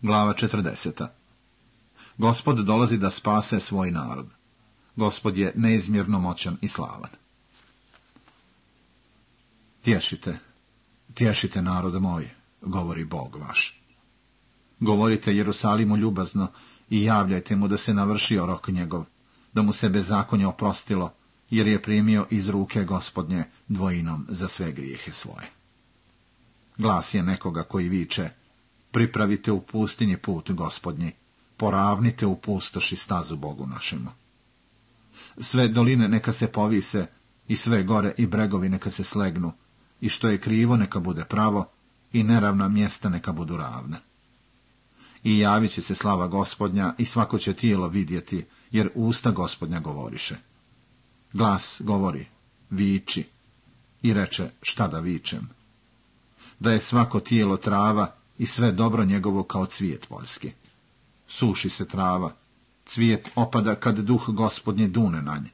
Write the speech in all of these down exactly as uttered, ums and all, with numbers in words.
Glava četrdeseta. Gospod dolazi da spase svoj narod. Gospod je neizmjerno moćan i slavan. Tješite, tješite narod moj, govori Bog vaš. Govorite Jerusalimu ljubazno i javljajte mu da se navršio rok njegov, da mu se bezakonje oprostilo, jer je primio iz ruke Gospodnje dvojinom za sve grijehe svoje. Glas je nekoga koji viče: pripravite u pustinji put Gospodnji, poravnite u pustoši stazu Bogu našemu. Sve doline neka se povise, i sve gore i bregovi neka se slegnu, i što je krivo neka bude pravo, i neravna mjesta neka budu ravna. I javit će se slava Gospodnja, i svako će tijelo vidjeti, jer usta Gospodnja govoriše. Glas govori: viči, i reče: šta da vičem? Da je svako tijelo trava, i sve dobro njegovo kao cvijet poljski. Suši se trava, cvijet opada kad duh Gospodnji dune na nje.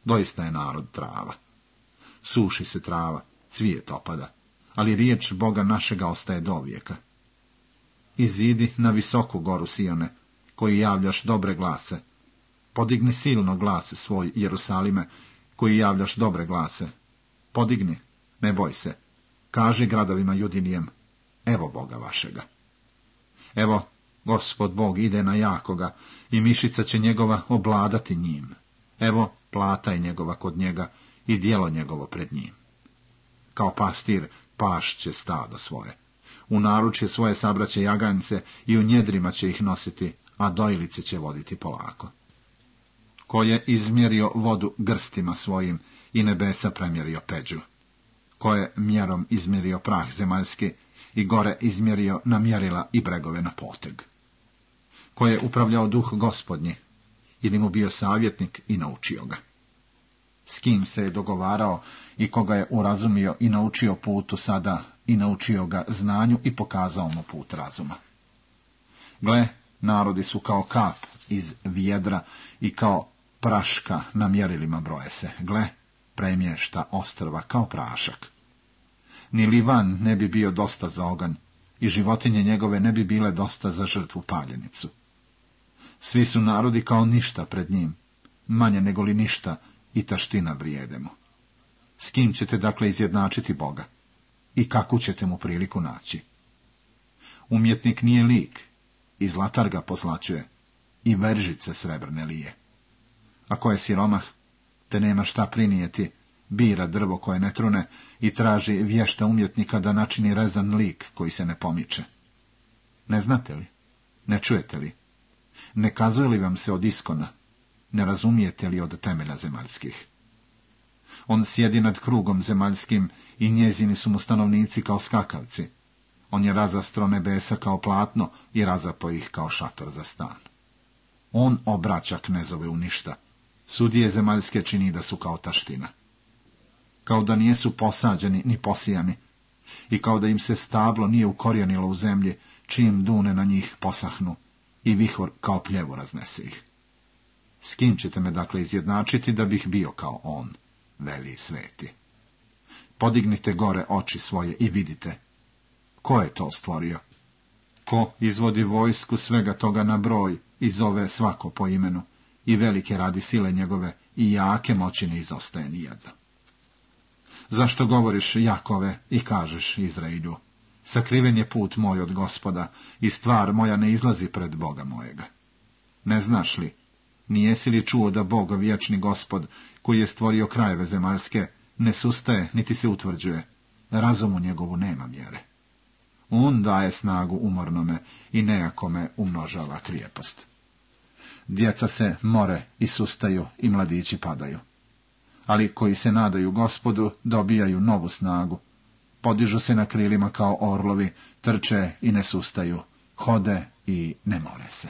Doista je narod trava. Suši se trava, cvijet opada, ali riječ Boga našega ostaje dovijeka. Izidi na visoku goru Sione, koji javljaš dobre glase. Podigni silno glas svoj, Jerusalime, koji javljaš dobre glase. Podigni, ne boj se. Kaži gradovima Judinijem: evo Boga vašega. Evo, Gospod Bog ide na jakoga, i mišica će njegova obladati njim. Evo, plata je njegova kod njega, i djelo njegovo pred njim. Kao pastir pašće stado svoje. U naručje svoje sabraće jaganjce, i u njedrima će ih nositi, a dojlice će voditi polako. Ko je izmjerio vodu grstima svojim, i nebesa premjerio peđu. Ko je mjerom izmjerio prah zemaljski, i gore izmjerio na mjerila i bregove na poteg. Ko je upravljao duh Gospodnji, ili mu bio savjetnik i naučio ga. S kim se je dogovarao i koga je urazumio i naučio putu sada, i naučio ga znanju i pokazao mu put razuma. Gle, narodi su kao kap iz vjedra i kao praška na mjerilima broje se. Gle, premješta ostrva kao prašak. Ni Livan ne bi bio dosta za oganj, i životinje njegove ne bi bile dosta za žrtvu paljenicu. Svi su narodi kao ništa pred njim, manje nego li ništa, i taština vrijede mu. S kim ćete dakle izjednačiti Boga? I kakvu ćete mu priliku naći? Umjetnik nije lik, i zlatar ga pozlaćuje, i veržice srebrne lije. Ako je siromah, te nema šta prinijeti, bira drvo koje ne trune i traži vješta umjetnika da načini rezan lik koji se ne pomiče. Ne znate li? Ne čujete li? Ne kazuje li vam se od iskona? Ne razumijete li od temelja zemaljskih? On sjedi nad krugom zemaljskim, i njezini su mu stanovnici kao skakavci. On je razastro nebesa kao platno i razapo ih kao šator za stan. On obraća knezove u ništa. Sudije zemaljske čini da su kao taština. Kao da nijesu posađeni ni posijani, i kao da im se stablo nije ukorijenilo u zemlji, čim dune na njih posahnu, i vihor kao pljevu raznese ih. S kim ćete me dakle izjednačiti da bih bio kao on, veli sveti? Podignite gore oči svoje i vidite. Ko je to stvorio? Ko izvodi vojsku svega toga na broj i zove svako po imenu, i velike radi sile njegove, i jake moći ne izostaje nijedno? Zašto govoriš, Jakove, i kažeš Izrailju: sakriven je put moj od Gospoda, i stvar moja ne izlazi pred Boga mojega? Ne znaš li, nijesi li čuo da Bog, vječni Gospod, koji je stvorio krajeve zemaljske, ne sustaje niti se utvrđuje, razumu njegovu nema mjere? On daje snagu umornome i nejakome umnožava krijepost. Djeca se more i sustaju i mladići padaju. Ali koji se nadaju Gospodu dobijaju novu snagu. Podižu se na krilima kao orlovi, trče i ne sustaju, hode i ne more se.